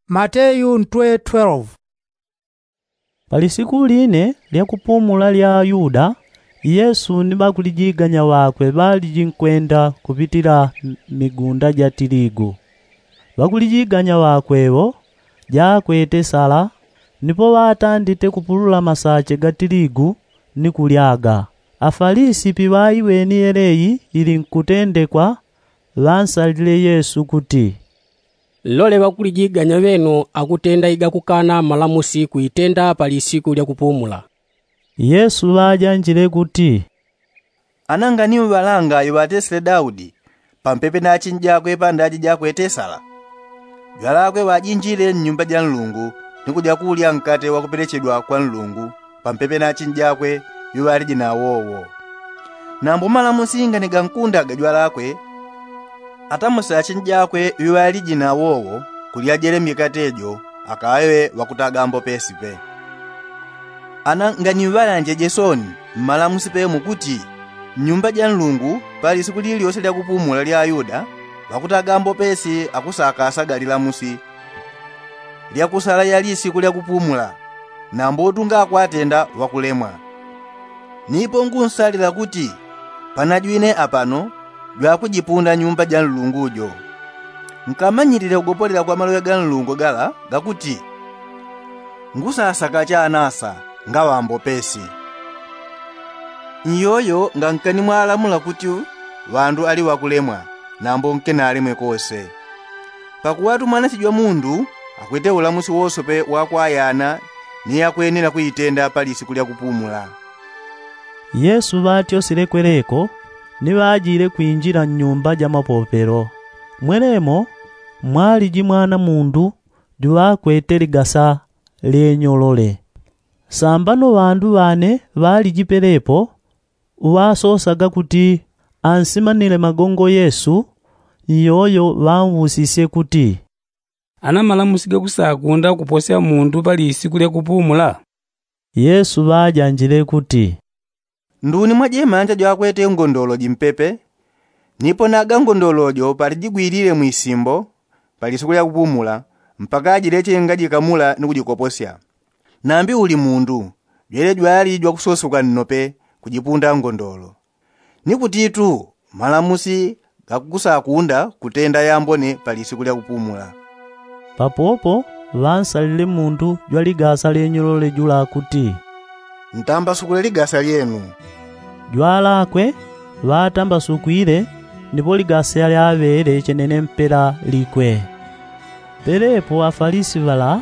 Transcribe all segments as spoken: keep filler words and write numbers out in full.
Mateyu ntwe twelve. Palisiku line lya kupumula lya ayuda, yesu ni ŵakulijiganya ŵakwe ŵalijinkwenda kupitila migunda ja tiligu. Ŵakulijiganya ŵakwe ŵo jakwete sala, nipo ŵatandite kupulula masache ga tiligu ni kulyaga. Afalisi piŵaiweni yeleyi ili nkutendekwa, ŵansalile yesu kuti, nlole ŵakulijiganya ŵenu akutenda igakukana malamusi kuitenda pa lisiku lya kupumula. Yesu ŵajanjile kuti, ana nganiuŵalanga iŵatesile daudi pampepe na achinjakwe pandaji jakwete sala. Jwalakwe ŵajinjile nnyumba ja nlungu ni kuja kuulya nkate wakupelechedwa kwa nlungu pampepe na achinjakwe iŵaliji na awowo. Nambo malamusi nganigankundaga jwalakwe, atamuse achinjakwe iŵaliji na awowo kulyajele mikate jo akaŵe ŵakutaga mbopesi pe. Ana nganiŵalanje jesoni mmalamusi pemo kuti nnyumba ja nlungu pali siku lilyose lya kupumula lya ayuda ŵakutaga mbopesi akusakasaga lilamusi lya kusala yali siku lya kupumula. Nambo utunga akwatenda ŵakulemwa. Nipo ngunsalila kuti panajwine apano jwakujipunda nyumba ja nlungu jo. Nkamanyilile kugopolela kwa maloŵe ga nlungu gala gakuti, ngusasaka chanasa ngaŵa mbopesi. Nyoyo ngankani mwalamula kuti ŵandu ali ŵakulemwa nambo nkenalemwe kose. Pakuŵatu mwanasijo wa mundu akwete ulamusi wosope wakwayana ni yakwenela kuitenda pa lisiku lya kupumula. Yesu ŵatyosile kweleko ni ŵajile kwinjila nnyumba ja mapopelo. Mwelemo mwaliji mwana mundu juŵakwete ligasa lyenyolole. Sambano ŵandu ŵane ŵaliji pelepo uŵasosaga kuti ansimanile magongo yesu, nyoyo ŵausisye kuti, ana malamusi gakusakunda kuposya mundu pa lisiku lya kupumula? Yesu ŵajanjile kuti, nduni mwajemanja jwakwete ngondolo jimpepe. Nipo naga ngondolo jo palijigwilile mwisimbo pa lisiku lya kupumula mpaka ajileche ngajikamula ni kujikoposya. Nambi uli mundu jwele jwali jwakusosoka nnope kujipunda ngondolo. Ni kutitu malamusi gakusakunda kutenda yambone pa lisiku lya kupumula. Papopo ŵansalile mundu jwa ligasa lyenyolole jula kuti, ntambasukule ligasa lyenu. Jwalakwe ŵatambasukwile, nipo ligasa lyaŵele chenene mpela likwe. Pelepo afalisi ŵala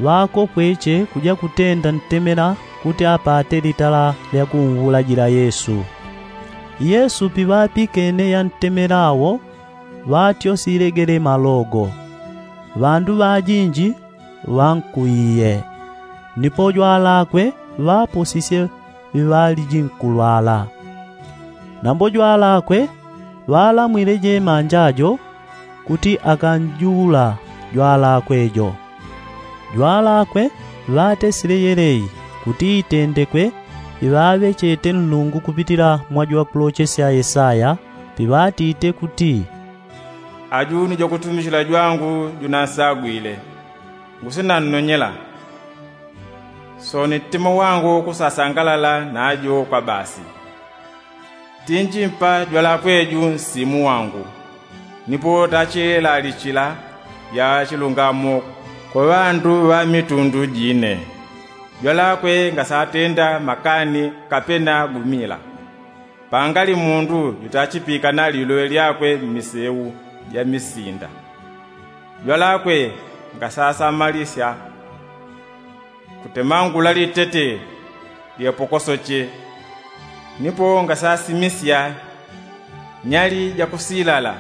ŵakopweche kuja kutenda ntemela kuti apate litala lya kunwulajila yesu. Yesu piŵapikene yantemela awo ŵatyosilege le malogo. Ŵandu ŵajinji ŵankuiye. Nipo jwalakwe ŵaposisye ŵiŵaliji nkulwala. Nambo jwalakwe ŵalamwile jemanja jo kuti akanjula jwalakwe jo. Jwalakwe ŵatesile yeleyi kuti itendekwe iŵaŵechete nlungu kupitila mwa jwakulochesya yesaya piŵatite kuti, aju ni jwakutumichila jwangu junansagwile, ngusinannonyela. Soni ntima wangu kusasangalala na ajo kwa basi. Tinjimpa jwalakwe ju nsimu wangu, nipo tachilelalichila ya chilungamo kwa ŵandu ŵa mitundu jine. Jwalakwe ngasatenda makani kapena gumila. Pangali mundu jutachipikana liloŵe lyakwe mmiseu ja misinda. Jwalakwe ngasasamalisya kutemangula litete lyepokosoche. Nipo ngasasimisya nyali jakusilala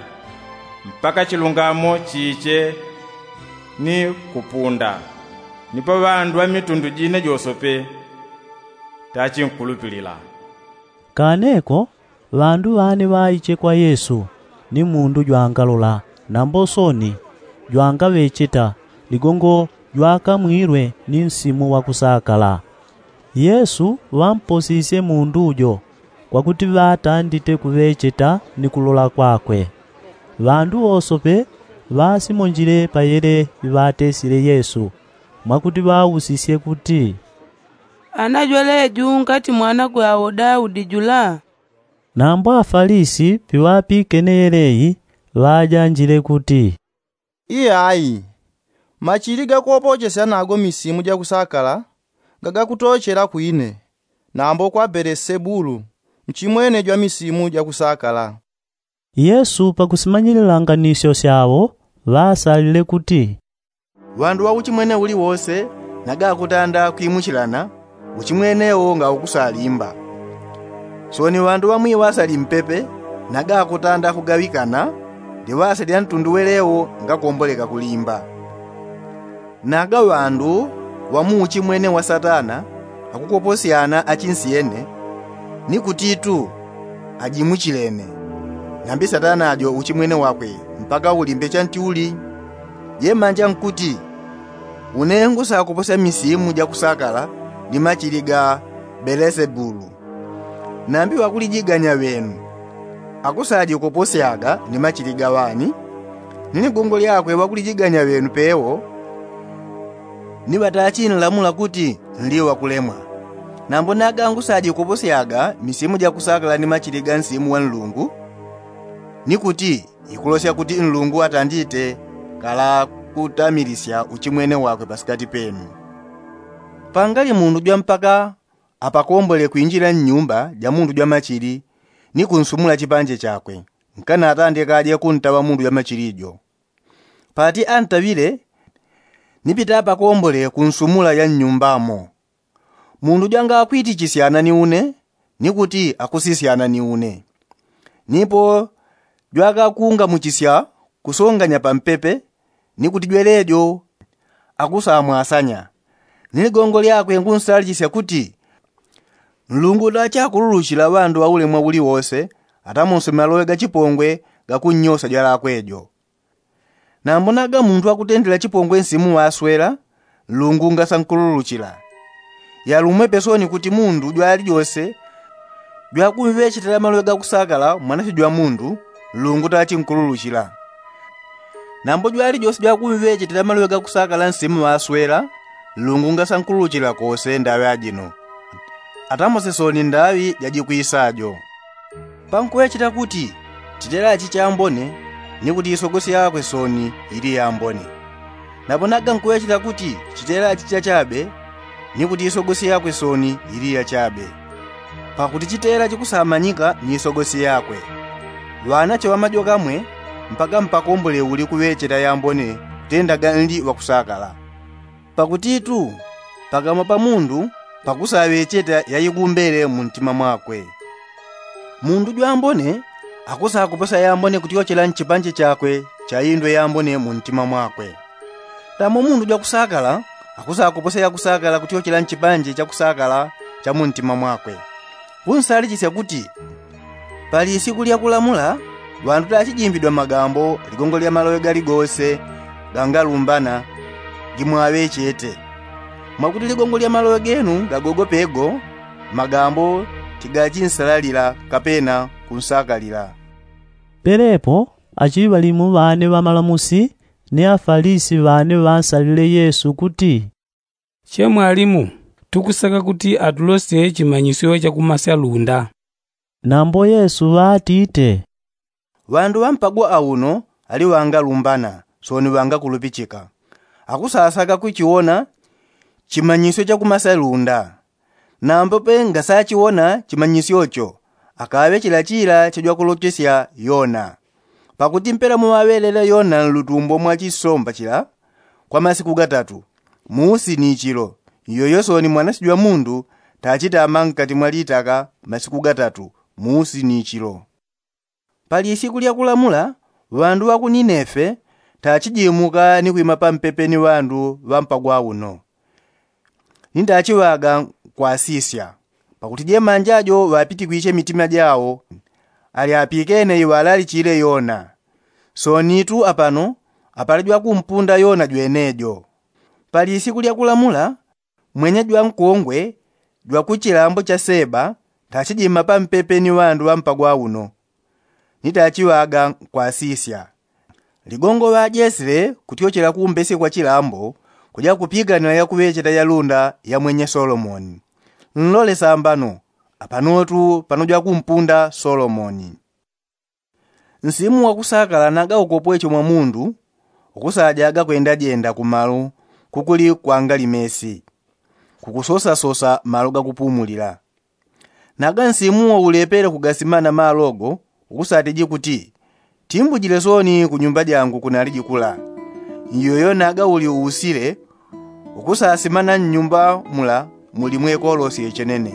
mpaka chilungamo chiche ni kupunda. Nipo ŵandu ŵa mitundu jine josope tachinkulupilila. Kaneko ŵandu ŵane ŵaiche kwa yesu ni mundu jwangalola nambo soni jwangaŵecheta ligongo jwakamwilwe ni nsimu wakusakala. Yesu ŵamposisye mundu jo kwakuti ŵatandite kuŵecheta ni kulola kwakwe. Ŵandu wosope Ŵasimonjile payele iŵatesile yesu, mwakuti ŵausisye kuti, ana jweleju ngati mwanakwe awo daudi jula? Nambo afalisi piŵapikene yeleyi, ŵajanjile kuti, iyayi, machili gakopochesya nago misimu jakusakala, gagakutochela kwine, nambo kwa belesebulu, mchimwene jwa misimu jakusakala. Yesu pakusimanyilila nganisyo syawo, ŵaasalile kuti, ŵandu ŵa uchimwene uliwose, nagakutanda kwimuchilana, uchimwene wo ngaukusalimba. Soni ŵandu ŵa mwiŵasa limpepe, nagakutanda kugaŵikana, liŵasa lya ntundu welewo ngakomboleka kulimba. Naga ŵandu ŵa muuchimwene wa satana, akukoposyana achinsyene, ni kutitu ajimuchilene. Nambi satana jo uchimwene wakwe, mpaka ulimbe chanti uli? Jemanja nkuti, une ngusakoposya misimu jakusakala ni machili ga belesebulu. Nambi ŵakulijiganya ŵenu, akusajikoposyaga ni machili ga ŵani? Ni ligongo lyakwe ŵakulijiganya ŵenu pewo, ni ŵatachinlamula kuti nli ŵakulemwa. Nambo naga ngusajikoposyaga misimu jakusakala ni machili ga nsimu wa nlungu, ni kuti ikulosya kuti nlungu atandite kala kutamilisya uchimwene wakwe pasikati penu. Pangali mundu jwa mpaka apakombole kwinjila nnyumba ja mundu jwa machili, ni kunsumula chipanje chakwe, nkana atandikaje kuntaŵa mundu jwa machili jo. Pati antaŵile, nipita apakombole kunsumula ya nnyumbamo. Mundu jwangakwitichisya nani une, ni kuti akusisyana ni une. Nipo jwakakungamuchisya kusonganya pampepe, ni kuti jwelejo akusamwasanya. Ni ligongo lyakwe ngunsalichisya kuti, nlungu tachakululuchila ŵandu ŵa ulemwa uliwose, atamonse maloŵe ga chipongwe gakunnyosa jwalakwe jo. Nambo naga mundu akutendela chipongwe nsimu ŵaswela, nlungu ngasankululuchila. Yalumwe pesoni kuti mundu jwalijose jwakumŵechetela maloŵe gakusakala mwanasyo jwa mundu, nlungu tachinkululuchila. Nambo jwalijose jwakumŵechetela maloŵe gakusakala nsimu ŵaswela, nlungu ngasankululuchila kose ndaŵi ajino, atamose soni ndaŵi jajikwisajo. Pankuŵecheta kuti chitela chichambone, ni kuti isogosye yakwe soni ili yambone. Napo naga nkuŵecheta kuti chitela chichachabe, ni kuti isogosye yakwe soni ili yachabe. Pakuti chitela chikusamanyika ni isogosye yakwe. Ŵanache ŵamajoka mwe, mpaka mpakombole uli kuŵecheta yambone kutendaga nli ŵakusakala. Pakutitu pakamwa pa mundu pakusaŵecheta yaikumbele mu ntima mwakwe. Mundu jwambone akusakuposa yambone kutyochela nchipanje chakwe cha indwe yambone mu ntima mwakwe. Tamo mundu jwakusakala akusakuposa yakusakala kutyochela nchipanje chakusakala cha mu ntima mwakwe. Kunsalichisya kuti, pali isiku lya kulamula, ŵandu tachijimbidwa magambo ligongo lya maloŵe galigose gangalumbana gimwaŵechete. Mwakuti ligongo lya maloŵe genu gagogopego, magambo tigachinsalalila kapena kunsakalila. Pelepo achiŵalimu ŵane ŵamalamusi ni afalisi ŵane ŵansalile yesu kuti, che mwalimu, tukusaka kuti atulosye chimanyisyo chakumasya lunda. Nambo yesu ŵatite, ŵandu ŵampagwa auno ali ŵangalumbana, soni ŵangakulupichika. Akusasaka kuchiwona chimanyisyo chakumasya lunda. Nambo pe ngasachiwona chimanyisyocho, akaŵechela chila chajwakulochesya yona. Pakuti mpela muŵaŵelela yona nlutumbo mwa chisomba chila kwa masiku gatatu, muusi ni chilo, iyoyo soni mwanasyo jwa mundu tachitama nkati mwa litaka masiku gatatu, muusi ni chilo. Pali isiku lya kulamula, ŵandu ŵa ku ninefe tachijimuka ni kwima pampepe ni ŵandu ŵa mpagwa uno. Nindachiŵaga nkwasisya, pakuti jemanja jo ŵapitikwishe mitima jawo, ali apikene iŵalalichile yona. Sonitu apano apali jwakumpunda yona jwenejo. Pali isiku lya kulamula, mwenya jwankongwe jwa ku chilambo cha seba tachijima pampepe ni ŵandu ŵa mpagwa uno. Nitachiŵaga nkwasisya, Ligongo ŵajesile kutyochela kumbesye kwa chilambo kuja kupiganila yakuŵecheta yalunda ya mwenye solomoni. Nlole sambano. Apanotu pano jwakumpunda solomoni. Nsimu wakusakala naga ukopwecho mwa mundu ukusajaga kwendajenda kumalu kukuli kwangali mesi kukusosasosa malu gakupumulila. Naga nsimu waulepele kugasimana malogo ukusatiji kuti, timbujile soni kunyumba jangu kunaliji kula. Nyoyo naga uli uusile ukusasimana nnyumba mula muli mwekolosye chenene,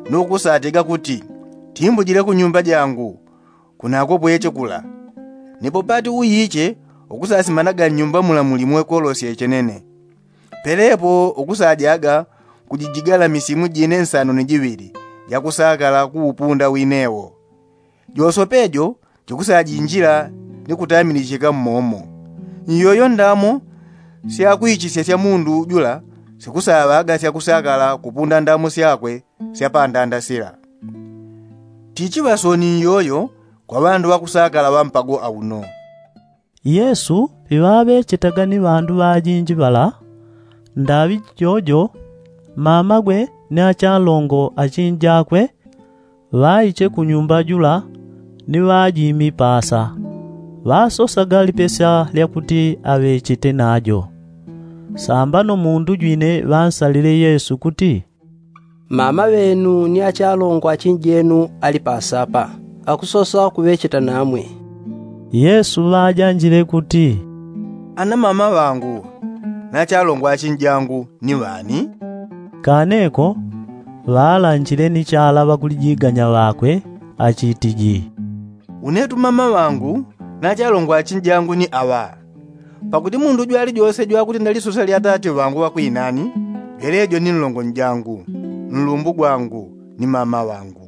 nukusatiga kuti, timbujile kunyumba jangu kunakopweche kula. Nipo pati uyiche ukusasimanaga nnyumba mula muli mwekolosye chenene. Pelepo ukusajaga kujijigala misimu jine nsano ni jiŵili jakusakala kuupunda winewo. Josopejo jikusajinjila ni kutamilichika mmomo. Nyoyo ndamo syakwichisya sya mundu jula sikusaŵaga syakusakala kupunda ndamo syakwe syapandanda sila. Tichiŵa soni nyoyo kwa ŵandu ŵakusakala ŵampago auno. Yesu piŵaŵechetaga ni ŵandu ŵajinji ŵala, ndaŵi jojo mamagwe ni achalongo achinjakwe ŵaiche kunyumba jula ni ŵajimi pasa. Ŵasosaga lipesya lyakuti aŵechete najo. Sambano mundu jwine ŵansalile yesu kuti, mama ŵenu ni achalongo achinjenu ali pasapa, akusosa kuŵecheta namwe. Yesu ŵajanjile kuti, ana mama ŵangu na achalongo achinjangu ni ŵani? Kaneko ŵalanjile ni chala ŵakulijiganya ŵakwe, achitiji, unetu mama ŵangu na achalongo achinjangu ni aŵa. Pakuti mundu jwalijose jwakuti ndalisosa lya atate ŵangu ŵakwinani, jwelejo ni nlongo njangu, nlumbu gwangu ni mama ŵangu.